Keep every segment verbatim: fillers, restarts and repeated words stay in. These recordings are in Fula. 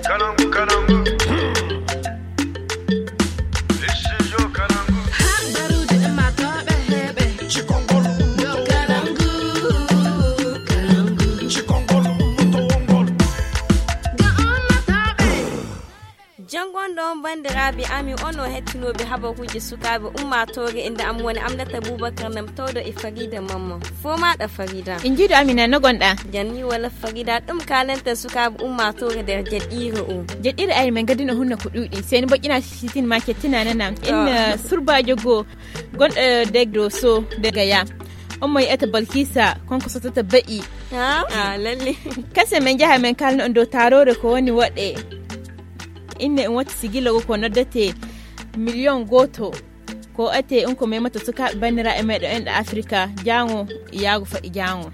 Kalangu, kalangu. Studio Kalangu. Habaruuji e matooɓe heɓe. Cikongol ummoto. Kalangu, kalangu. Cikongol ummoto wongol. Ga ummatooɓe. Janngo on ɗon, banndiraaɓe amin, on o hettinooɓe habaruuji sukaaɓe ummaatoore. Innde am woni Aminata Boubacar Nam, tawɗo e Farida Mamman. Fo maaɗa, Farida. En njiidu Amina, no gonɗa? Janni wala Farida, ɗum kaalanta sukaaɓe ummaatoore nder jeɗɗiire o. Jeɗɗiire ari men gadino hunna ko ɗuuɗi. Seni boƴƴina sitin ma kettina nana. To. Inna surbaajo goo gonɗo degdo so de gaya. On mo yi'ata Balkisa, kanko sotata be'i. Ha? Ah, lalle. Kase men njaha men kaalna on dow taaroore ko woni waɗe. Inne en watti sigilo ko noddete miliyon gooto. Ko ate on ko memata sukaaɓe banniraaɓe meɗen enɗa Afirka, jaango, yaago faɗi jaango.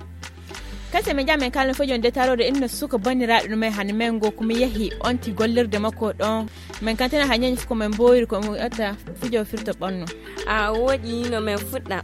Kase men njaha men kaalna fojon de taaroore inna suka banniraaɓe ɗum e hano men ngo ko mi yahi onti gollirde makko ɗon. Men kantana ha ñañi fuko men mboyri ko mi ata fijo firto ɓanno. A woɗi no men fuɗɗa.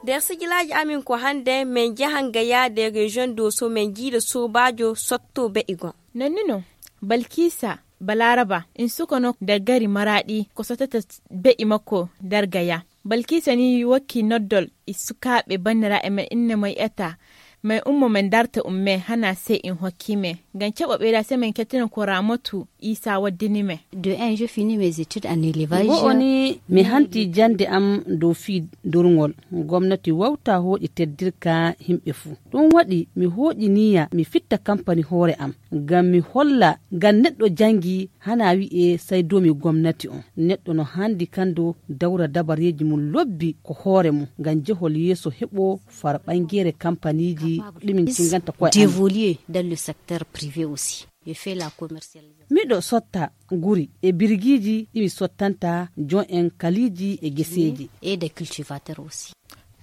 Nder sigilaaji amin ko hannde men njahan Gaya nder région Doso men njiida soobaajo sotto be'igo. Nonnino, Balkisa Balaraba, in sukono nder gari Maraɗi ko sotata be'i makko nder Gaya. Balkisa ni wokki noddol e sukaaɓe banniraaɓe men inne mo yi'ata, men ummo men darta umme hana sey in hokki me. Ngam caɓa ɓeyda sey men kettina ko Ramatu Isa waddini me. De un, je finis mes études en élevage. Go'o ni mi hanti jannde am dow fii durngol. Gomnati wawta hooƴi teddirka himɓe fuu. Ɗum waɗi mi hooƴi niyya mi fitta kampani hoore am. Ngam mi holla, ngam neɗɗo janngi hana wi'e sey doomi gomnati on. Neɗɗo no handi kando dawra dabareeji mum lobbi ko hoore mum. Ngam jehol yeeso heɓo far ɓangeere kampaniiji ɗi min cinganta koye amin. D'évoluer dans le secteur privé aussi. Je fais la commercialisation. Miɗo sotta guri e birgiiji ɗi mi sottanta jon en kaliiji e geseeji. Et des cultivateurs aussi.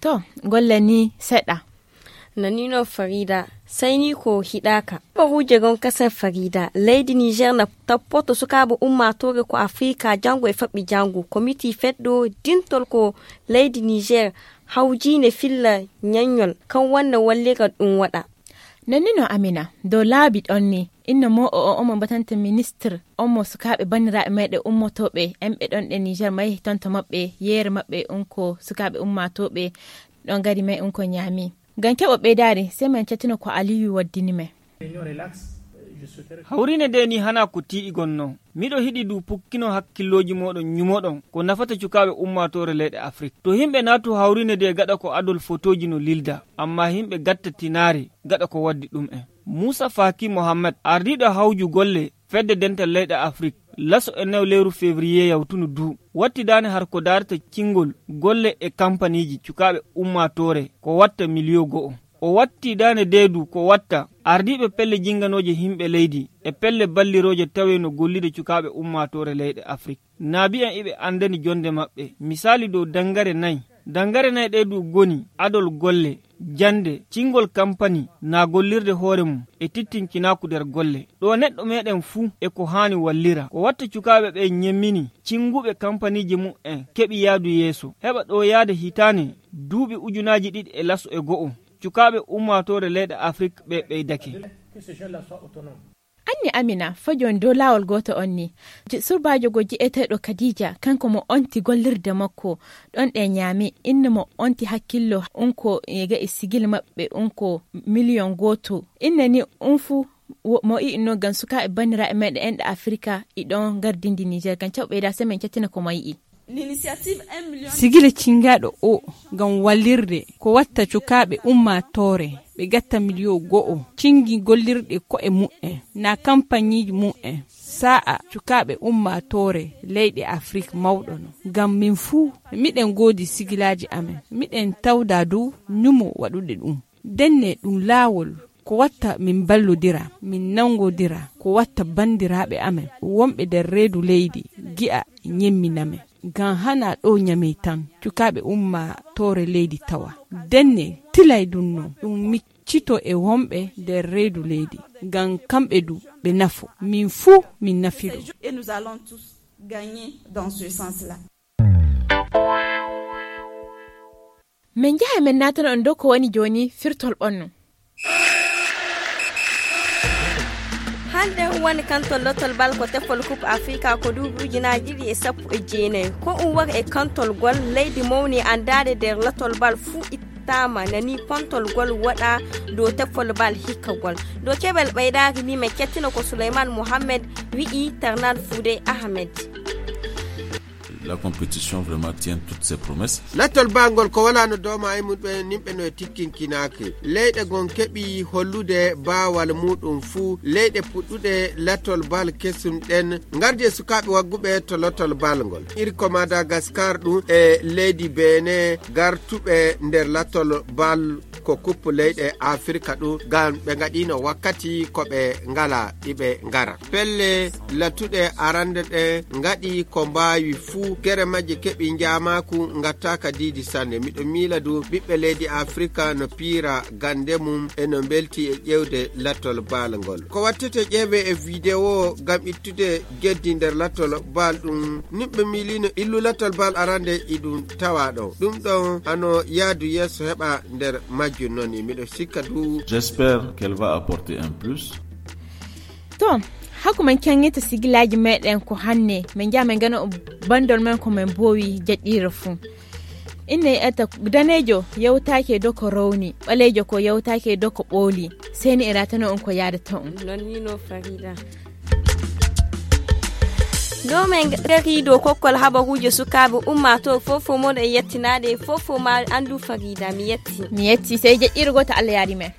To, golle ni seɗɗa. Nanino Farida, sey ni ko hiɗaaka. Habaruuje gon kasen Farida, leydi Niger na tappoto sukaaɓe ummaatoore ko Afrika janngo e faɓɓi janngo. Komiti feɗɗo dintol ko leydi Niger hawjiine filla ñaññol, kan wanna wallira ɗum waɗa. Nannino Amina, dow laabi ɗon ni, inno mo o, o, omo batanta ministre, omo sukaaɓe banniraaɓe meɗen ummotooɓe, en ɓe ɗon ɗe Niger mayi tonto maɓɓe, yeere maɓɓe, on ko sukaaɓe ummaatooɓe, ɗon gari may on ko ñaami. Ngam keɓo ɓeydaari, sey men cattino ko Aliyu waddini men. Hawriine nde ni hana ko tiiɗi gonno. Miɗo hiɗi du pukkino hakkillooji mooɗon ñumoɗon ko nafata cukaaɓe ummaatoore leyɗe Afrik. To himɓe naatu hawriine nde gaɗa ko adol fotooji no lilda, amma himɓe gatta tinaare gaɗa ko waddi ɗum en. Muusa Faki Mohammed, ardiiɗo hawju golle fedde dental leyɗe Afrik, laso e naw lewru février yawtunu du, watti daane har ko daarata cingol golle e kampaniiji cukaaɓe ummaatoore ko watta miliyo go'o. O watti daane deedu ko watta ardiiɓe pelle jinganooje himɓe leydi e pelle ballirooje tawe no gollude cukaaɓe ummaatoore leyɗe Afrik. Naabi en iɓe andani jonde maɓɓe. Misaali dow dangare nay. Dangare nay ɗe du goni adol golle, jande, cingol kampani, na gollirde hoore mum e tittinkinaaku nder golle. Ɗo neɗɗo meɗen fuu e ko haani wallira. Ko watta cukaaɓe ɓe ñemmini cinguɓe kampaniiji mum en keɓi yaadu yeeso. Heɓa ɗo yaada hitaane duuɓi ujunaaji ɗiɗi e laso e go'o. Cukaaɓe ummaatoore leyɗe Afrik ɓe ɓeydake. Anni Amina, fajon dow laawol gooto on ni. Ji-, surbaajo go ji'eteeɗo Khadija, kanko mo onti gollirde makko, ɗon ɗe ñaami, inna mo onti hakkillo, on ko e ga'i sigil maɓɓe, on ko miliyon gooto. Inna ni on fu, wo-, mo i'i no ngam sukaaɓe banniraaɓe meɗen enɗe Afirka, i ɗon gardindi Niger, ngam caɓɓe ɓeyda semaine cattina ko mo yi'i. Sigile cingaaɗo o ngam wallirde ko watta cukaaɓe ummaatoore ɓe gatta miliyo go'o cingi gollirɗe ko'e mu'en na kampaniiji mu'en sa'a cukaaɓe ummaatoore leyɗe Afrik mawɗo no. Ngam min fuu miɗen ngoodi sigilaaji amen, miɗen tawda dow ñumo waɗude ɗum. Denne ɗum laawol ko watta min mballodira, min nangodira, ko watta banndiraaɓe amen wonɓe nder reedu leydi gi'a ñemminamen. Ngam hana ɗo ñamey tan, cukaaɓe ummaatoore leydi tawa. Denne tilay ɗum no, ɗum miccito e wonɓe nder reedu leydi, ngam kamɓe du ɓe nafo. Min fuu min nafiɗo. Et nous allons tous gagner dans ce sens-là. Min njaha min naatana on dow ko woni jooni firtol ɓonno. Hannde woni kantol lotol bal ko tefol coupe africa ko duuɓi ujunaaji ɗiɗi e sappo e jeenayi ko ɗum wari e kantol gol leydi mawni anndaade nder lotol bal fuu ittaama nani pontol gol waɗa dow tefol bal hikkagol. Dow keɓal ɓeydaaki ni mi kettina ko souleyman mohammed wi'i tarnan fuude ahmed. La compétition vraiment tient toutes ses promesses. Lattol bangol ko wala no dooma e mum ɓe nimɓe no e tikkinkinaake. Leyɗe gon keɓi hollude baawal muɗum fuu leyɗe puɗɗuɗe lattol bal kesum ɗen ngardi e sukaaɓe wagguɓe to lattol bal ngol. Iri ko Madagascar ɗum e leydi Benin gartuɓe nder lattol bal ko kuppu leyɗe Afrika ɗum ngam ɓe ngaɗino wakkati ko ɓe ngala iɓe ngara. Pelle lattuɗe arande ɗe ngaɗi ko mbaawi fuu gere majje keɓi njaamaaku ngattaaka diidi sanne. Miɗo miila du ɓiɓɓe leydi Afrika no piira gande mum e no mbelti e ƴewde lattol bal ngol. Ko wattete ƴeewe e video ngam ittude geddi nder lattol bal ɗum nimɓe miilino illu lattol bal arande iɗum tawa ɗon. Ɗum ɗon hano yaadu yeeso heɓa nder majjum noon miɗo sikka du. J'espère qu'elle va apporter un plus. To, haku men kengita sigilaaji meɗen ko hanne, men njaha men gana bandol men ko men boowi jaɗɗiira fuu. Inne etta daneejo yewtaake do ko rowni, ɓaleejo ko yewtaake do ko ɓooli. Seni e ratano on ko yaada to on. Non ni no Farida. Ɗo men gari dow kokkol habaruuji sukaaɓe ummaatoo fow fow moɗo e yettinaade fow fow ma anndu Farida mi yetti. Mi yetti sey jeɗɗiiɗo gooto Allah yaari men.